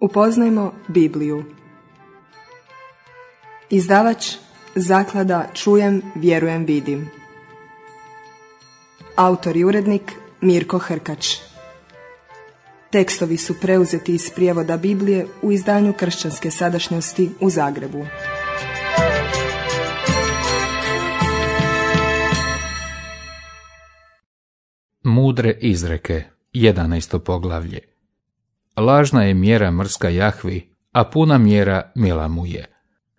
Upoznajmo Bibliju. Izdavač Zaklada Čujem, vjerujem, vidim. Autor i urednik Mirko Hrkač. Tekstovi su preuzeti iz prijevoda Biblije u izdanju Kršćanske sadašnjosti u Zagrebu. Mudre izreke, 11. poglavlje. Lažna je mjera mrska Jahvi, a puna mjera mila mu je.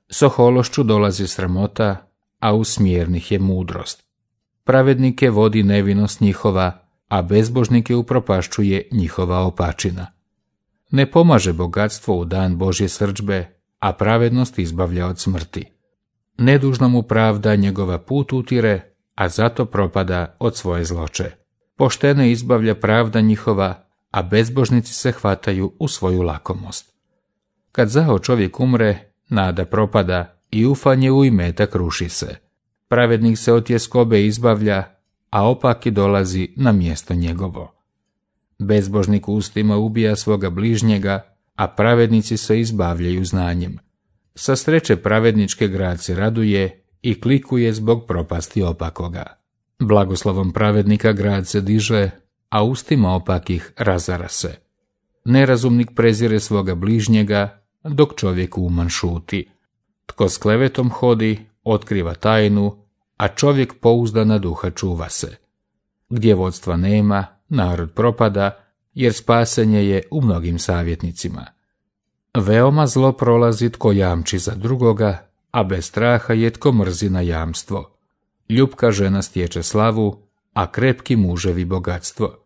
S ohološću dolazi sramota, a u smjernih je mudrost. Pravednike vodi nevinost njihova, a bezbožnike upropašćuje njihova opačina. Ne pomaže bogatstvo u dan Božje srdžbe, a pravednost izbavlja od smrti. Nedužno mu pravda njegova put utire, a zato propada od svoje zloče. Poštene izbavlja pravda njihova, a bezbožnici se hvataju u svoju lakomost. Kad zao čovjek umre, nada propada i ufanje u imetak ruši se. Pravednik se od tjeskobe izbavlja, a opaki dolazi na mjesto njegovo. Bezbožnik ustima ubija svoga bližnjega, a pravednici se izbavljaju znanjem. Sa sreće pravedničke grad se raduje i klikuje zbog propasti opakoga. Blagoslovom pravednika grad se diže, a ustima opakih razara se. Nerazumnik prezire svoga bližnjega, dok čovjek uman šuti. Tko s klevetom hodi, otkriva tajnu, a čovjek pouzdana duha čuva se. Gdje vodstva nema, narod propada, jer spasenje je u mnogim savjetnicima. Veoma zlo prolazi tko jamči za drugoga, a bez straha je tko mrzi na jamstvo. Ljupka žena stječe slavu, a krepki muževi bogatstvo.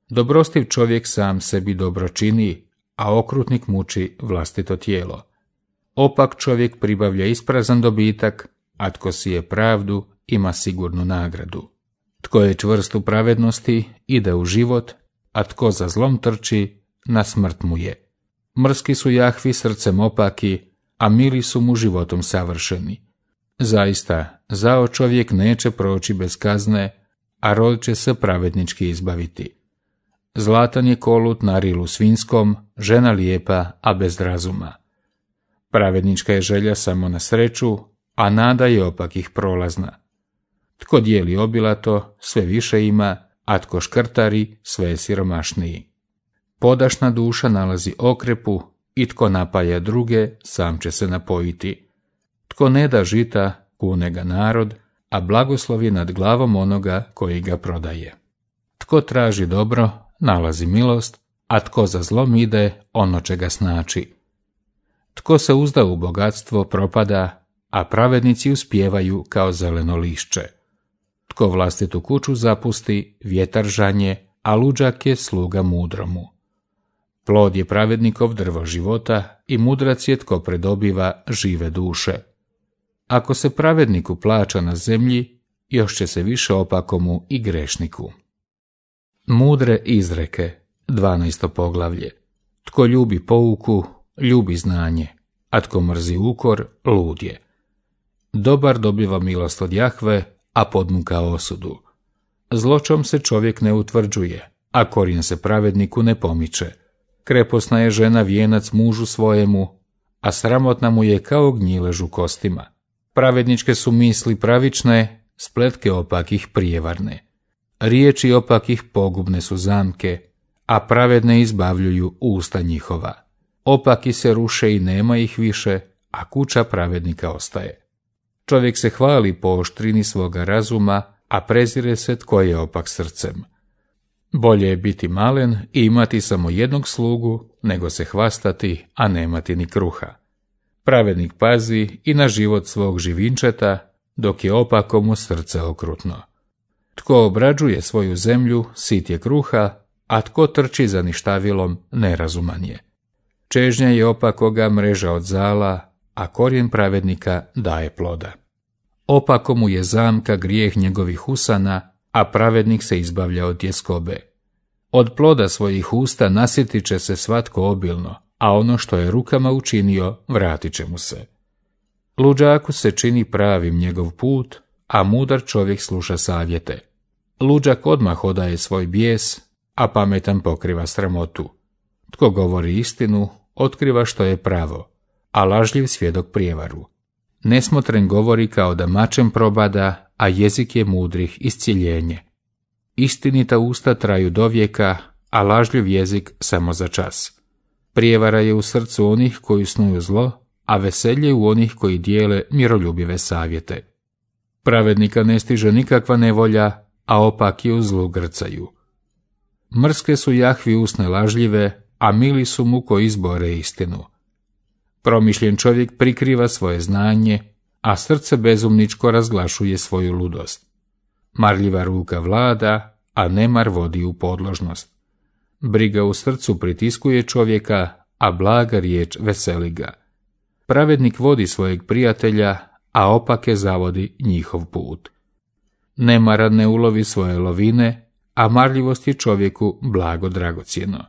Dobrostiv čovjek sam sebi dobro čini, a okrutnik muči vlastito tijelo. Opak čovjek pribavlja isprazan dobitak, a tko sije pravdu ima sigurnu nagradu. Tko je čvrst u pravednosti ide u život, a tko za zlom trči, na smrt mu je. Mrski su Jahvi srcem opaki, a mili su mu životom savršeni. Zaista, zao čovjek neće proći bez kazne, a rod će se pravednički izbaviti. Zlatan je kolut na rilu svinjskom, žena lijepa, a bez razuma. Pravednička je želja samo na sreću, a nada je opakih prolazna. Tko dijeli obilato, sve više ima, a tko škrtari, sve je siromašniji. Podašna duša nalazi okrepu, i tko napaja druge, sam će se napojiti. Tko ne da žita, kune ga narod, a blagoslov je nad glavom onoga koji ga prodaje. Tko traži dobro, nalazi milost, a tko za zlom ide, ono će ga snaći. Tko se uzda u bogatstvo, propada, a pravednici uspijevaju kao zeleno lišće. Tko vlastitu kuću zapusti, vjetar žanje, a luđak je sluga mudromu. Plod je pravednikov drvo života i mudrac je tko predobiva žive duše. Ako se pravedniku plaća na zemlji, još će se više opakomu i grešniku. Mudre izreke, 12. poglavlje. Tko ljubi pouku, ljubi znanje, a tko mrzi ukor, lud je. Dobar dobiva milost od Jahve, a podmuka osudu. Zločom se čovjek ne utvrđuje, a korijen se pravedniku ne pomiče. Kreposna je žena vijenac mužu svojemu, a sramotna mu je kao gnjilež u kostima. Pravedničke su misli pravične, spletke opakih prijevarne. Riječi opakih pogubne su zamke, a pravedne izbavljuju usta njihova. Opaki se ruše i nema ih više, a kuća pravednika ostaje. Čovjek se hvali po oštrini svoga razuma, a prezire se tko je opak srcem. Bolje je biti malen i imati samo jednog slugu, nego se hvastati, a nemati ni kruha. Pravednik pazi i na život svog živinčeta, dok je opakomu srce okrutno. Tko obrađuje svoju zemlju, sit je kruha, a tko trči za ništavilom, nerazuman je. Čežnja je opakoga mreža od zala, a korijen pravednika daje ploda. Opakomu je zamka grijeh njegovih usana, a pravednik se izbavlja od tjeskobe. Od ploda svojih usta nasjetit će se svatko obilno, a ono što je rukama učinio, vratit će mu se. Luđaku se čini pravim njegov put, a mudar čovjek sluša savjete. Luđak odmah odaje svoj bijes, a pametan pokriva sramotu. Tko govori istinu, otkriva što je pravo, a lažljiv svjedok prijevaru. Nesmotren govori kao da mačem probada, a jezik je mudrih isciljenje. Istinita usta traju dovijeka, a lažljiv jezik samo za čas. Prijevara je u srcu onih koji snuju zlo, a veselje u onih koji dijele miroljubive savjete. Pravednika ne stiže nikakva nevolja, a opaki u zlu grcaju. Mrske su Jahvi usne lažljive, a mili su mu koji izbore istinu. Promišljen čovjek prikriva svoje znanje, a srce bezumničko razglašuje svoju ludost. Marljiva ruka vlada, a nemar vodi u podložnost. Briga u srcu pritiskuje čovjeka, a blaga riječ veseli ga. Pravednik vodi svojeg prijatelja, a opake zavodi njihov put. Nemaran ne ulovi svoje lovine, a marljivost je čovjeku blago dragocjeno.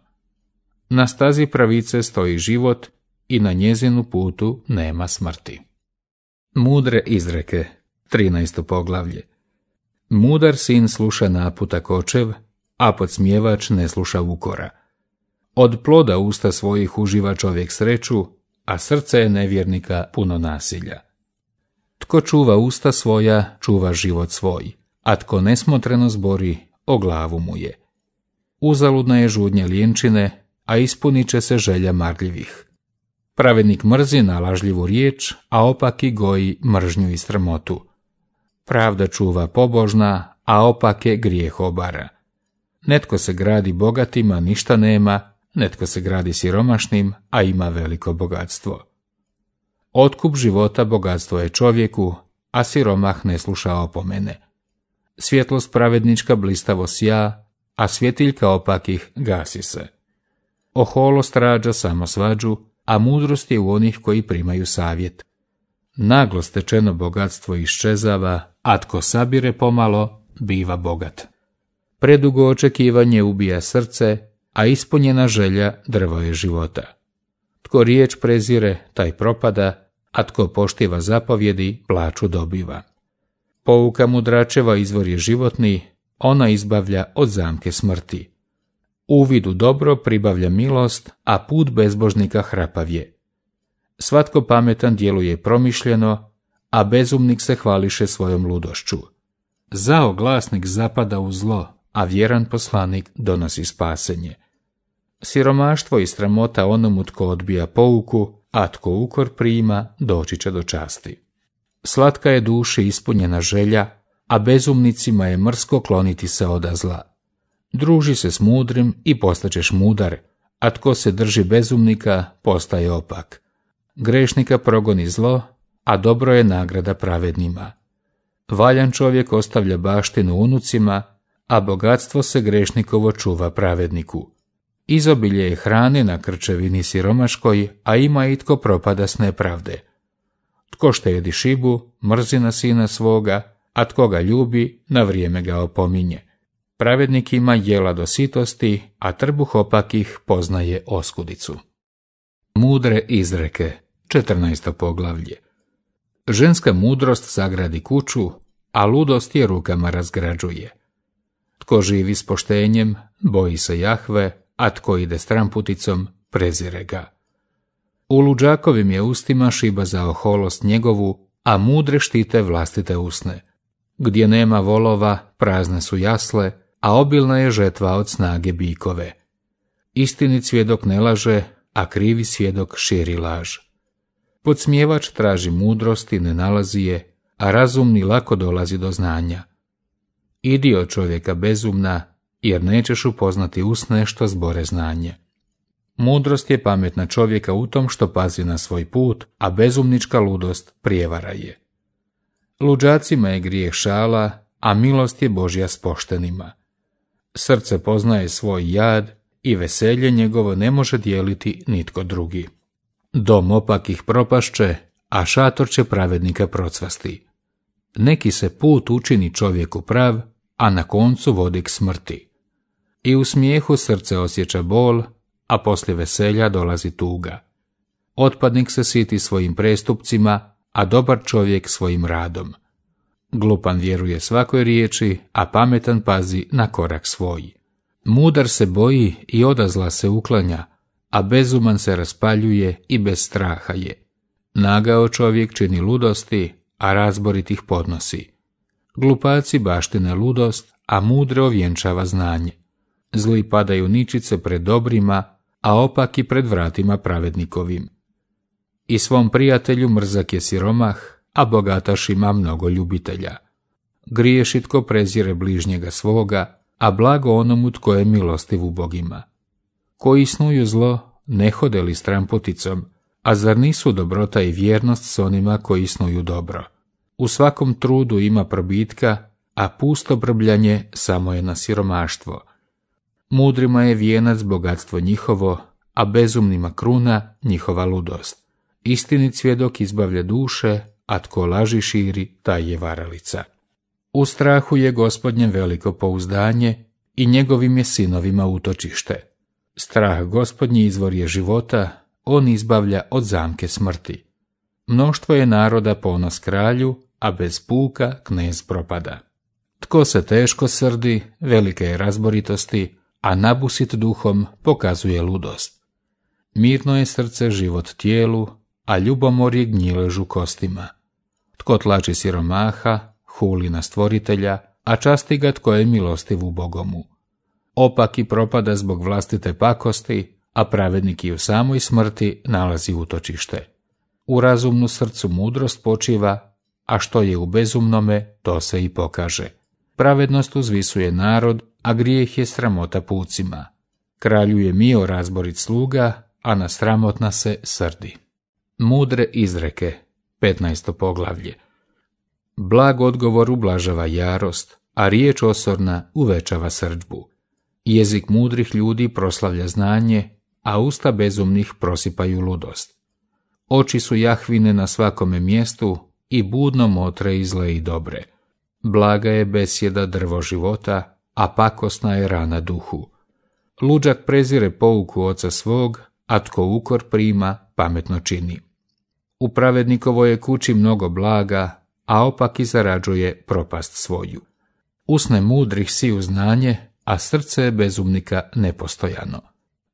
Na stazi pravice stoji život i na njezinu putu nema smrti. Mudre izreke, 13. poglavlje. Mudar sin sluša naputak očev, a podsmjevač ne sluša ukora. Od ploda usta svojih uživa čovjek sreću, a srce je nevjernika puno nasilja. Tko čuva usta svoja, čuva život svoj, a tko nesmotreno zbori, o glavu mu je. Uzaludna je žudnja lijenčine, a ispunit će se želja marljivih. Pravednik mrzi na lažljivu riječ, a opaki goji mržnju i sramotu. Pravda čuva pobožna, a opake grijeh obara. Netko se gradi bogatim, a ništa nema, netko se gradi siromašnim, a ima veliko bogatstvo. Otkup života bogatstvo je čovjeku, a siromah ne sluša opomene. Svjetlost pravednička blistavo sja, a svjetiljka opakih gasi se. Oholost rađa samo svađu, a mudrost je u onih koji primaju savjet. Naglo stečeno bogatstvo iščezava, a tko sabire pomalo, biva bogat. Predugo očekivanje ubija srce, a ispunjena želja drvo je života. Tko riječ prezire, taj propada, a tko poštiva zapovjedi, plaću dobiva. Pouka mudračeva izvor je životni, ona izbavlja od zamke smrti. Uvid u dobro pribavlja milost, a put bezbožnika hrapav je. Svatko pametan djeluje promišljeno, a bezumnik se hvališe svojom ludošću. Zao glasnik zapada u zlo, a vjeran poslanik donosi spasenje. Siromaštvo i sramota onomu tko odbija pouku, a tko ukor prima, doći će do časti. Slatka je duši ispunjena želja, a bezumnicima je mrsko kloniti se oda zla. Druži se s mudrim i postaćeš mudar, a tko se drži bezumnika, postaje opak. Grešnika progoni zlo, a dobro je nagrada pravednima. Valjan čovjek ostavlja baštinu unucima, a bogatstvo se grešnikovo čuva pravedniku. Izobilje je hrane na krčevini siromaškoj, a ima i tko propada s nepravde. Tko štedi šibu, mrzi na sina svoga, a tko ga ljubi, na vrijeme ga opominje. Pravednik ima jela do sitosti, a trbuh opakih poznaje oskudicu. Mudre izreke, 14. poglavlje. Ženska mudrost sagradi kuću, a ludost je rukama razgrađuje. Tko živi s poštenjem, boji se Jahve, a tko ide stramputicom, prezire ga. U luđakovim je ustima šiba za oholost njegovu, a mudre štite vlastite usne. Gdje nema volova, prazne su jasle, a obilna je žetva od snage bikove. Istinit svjedok ne laže, a krivi svjedok širi laž. Podsmjevač traži mudrost i ne nalazi je, a razumni lako dolazi do znanja. Idi od čovjeka bezumna, jer nećeš upoznati usne što zbore znanje. Mudrost je pametna čovjeka u tom što pazi na svoj put, a bezumnička ludost prijevara je. Luđacima je grijeh šala, a milost je Božja s poštenima. Srce poznaje svoj jad i veselje njegovo ne može dijeliti nitko drugi. Dom opakih propašće, a šator će pravednika procvasti. Neki se put učini čovjeku prav, a na koncu vodi k smrti. I u smijehu srce osjeća bol, a poslije veselja dolazi tuga. Otpadnik se siti svojim prestupcima, a dobar čovjek svojim radom. Glupan vjeruje svakoj riječi, a pametan pazi na korak svoj. Mudar se boji i odazla se uklanja, a bezuman se raspaljuje i bez straha je. Nagao čovjek čini ludosti, a razborit ih podnosi. Glupaci baštine ludost, a mudre ovjenčava znanje. Zli padaju ničice pred dobrima, a opaki pred vratima pravednikovim. I svom prijatelju mrzak je siromah, a bogataš ima mnogo ljubitelja. Griješi tko prezire bližnjega svoga, a blago onomu tko je milostiv u bogima. Koji snuju zlo, ne hode li stramputicom, a zar nisu dobrota i vjernost s onima koji snuju dobro? U svakom trudu ima probitka, a pusto brbljanje samo je na siromaštvo. Mudrima je vijenac bogatstvo njihovo, a bezumnima kruna njihova ludost. Istinit svjedok izbavlja duše, a tko laži širi, taj je varalica. U strahu je Gospodnjem veliko pouzdanje i njegovim je sinovima utočište. Strah Gospodnji izvor je života, on izbavlja od zamke smrti. Mnoštvo je naroda ponos kralju, a bez puka knez propada. Tko se teško srdi, velike je razboritosti, a nabusit duhom pokazuje ludost. Mirno je srce život tijelu, a ljubomor je gnjiležu kostima. Tko tlači siromaha, huli na stvoritelja, a časti ga tko je milostiv u Bogomu. Opaki propada zbog vlastite pakosti, a pravednik i u samoj smrti nalazi utočište. U razumnu srcu mudrost počiva, a što je u bezumnome, to se i pokaže. Pravednost uzvisuje narod, a grijeh je sramota pucima. Kralju je mio razborit sluga, a na sramotna se srdi. Mudre izreke, 15. poglavlje. Blag odgovor ublažava jarost, a riječ osorna uvećava srdžbu. Jezik mudrih ljudi proslavlja znanje, a usta bezumnih prosipaju ludost. Oči su Jahvine na svakome mjestu i budno motre i zle i dobre. Blaga je besjeda drvo života, a pakosna je rana duhu. Luđak prezire pouku oca svog, a tko ukor prima, pametno čini. U pravednikovoj je kući mnogo blaga, a opaki zarađuje propast svoju. Usne mudrih siju znanje, a srce je bezumnika nepostojano.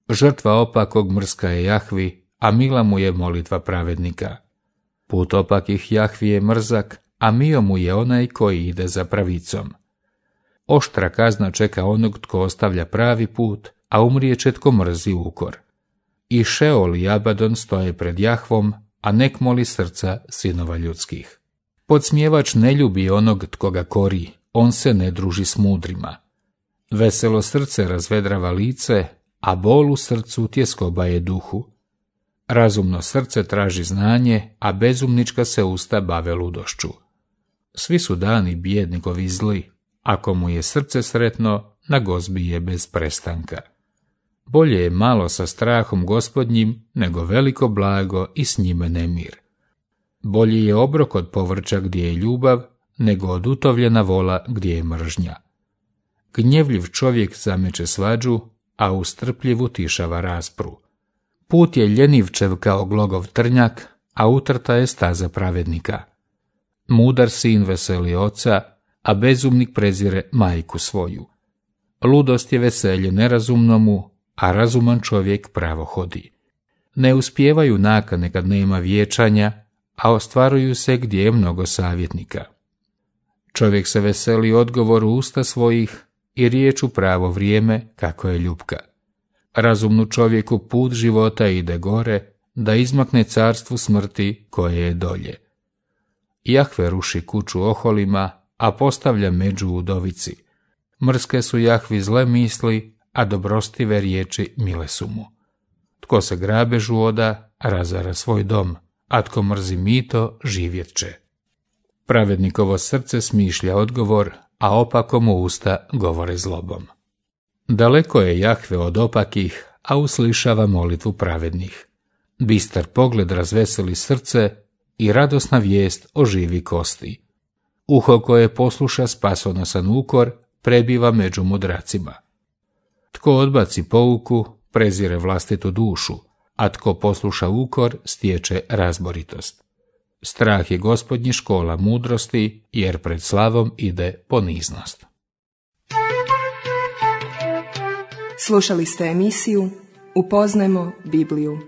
Žrtva opakog mrska je Jahvi, a mila mu je molitva pravednika. Put opakih Jahvi je mrzak, a mio mu je onaj koji ide za pravicom. Oštra kazna čeka onog tko ostavlja pravi put, a umrijeće tko mrzi ukor. I Šeol i Abadon stoje pred Jahvom, a nek moli srca sinova ljudskih. Podsmjevač ne ljubi onog tko ga kori, on se ne druži s mudrima. Veselo srce razvedrava lice, a bol u srcu tjeskoba je duhu. Razumno srce traži znanje, a bezumnička se usta bave ludošću. Svi su dani bijednikovi zli, ako mu je srce sretno, na gozbi je bez prestanka. Bolje je malo sa strahom Gospodnjim, nego veliko blago i s njime nemir. Bolje je obrok od povrća gdje je ljubav, nego od utovljena vola gdje je mržnja. Gnjevljiv čovjek zameće svađu, a ustrpljiv utišava raspru. Put je ljenivčev kao glogov trnjak, a utrta je staza pravednika. Mudar sin veseli oca, a bezumnik prezire majku svoju. Ludost je veselje nerazumnomu, a razuman čovjek pravo hodi. Ne uspijevaju nakane kad nema vječanja, a ostvaruju se gdje je mnogo savjetnika. Čovjek se veseli odgovoru usta svojih i riječ u pravo vrijeme kako je ljubka. Razumnu čovjeku put života ide gore, da izmakne carstvu smrti koje je dolje. Jahve ruši kuću oholima, a postavlja među udovici. Mrske su Jahvi zle misli, a dobrostive riječi mile su mu. Tko se grabežu oda, razara svoj dom, a tko mrzi mito, živjet će. Pravednikovo srce smišlja odgovor, a opakomu usta govore zlobom. Daleko je Jahve od opakih, a uslišava molitvu pravednih. Bistar pogled razveseli srce i radosna vijest oživi kosti. Uho koje posluša spasonosan ukor prebiva među mudracima. Tko odbaci pouku, prezire vlastitu dušu, a tko posluša ukor, stječe razboritost. Strah je Gospodnji škola mudrosti, jer pred slavom ide poniznost. Slušali ste emisiju Upoznajmo Bibliju.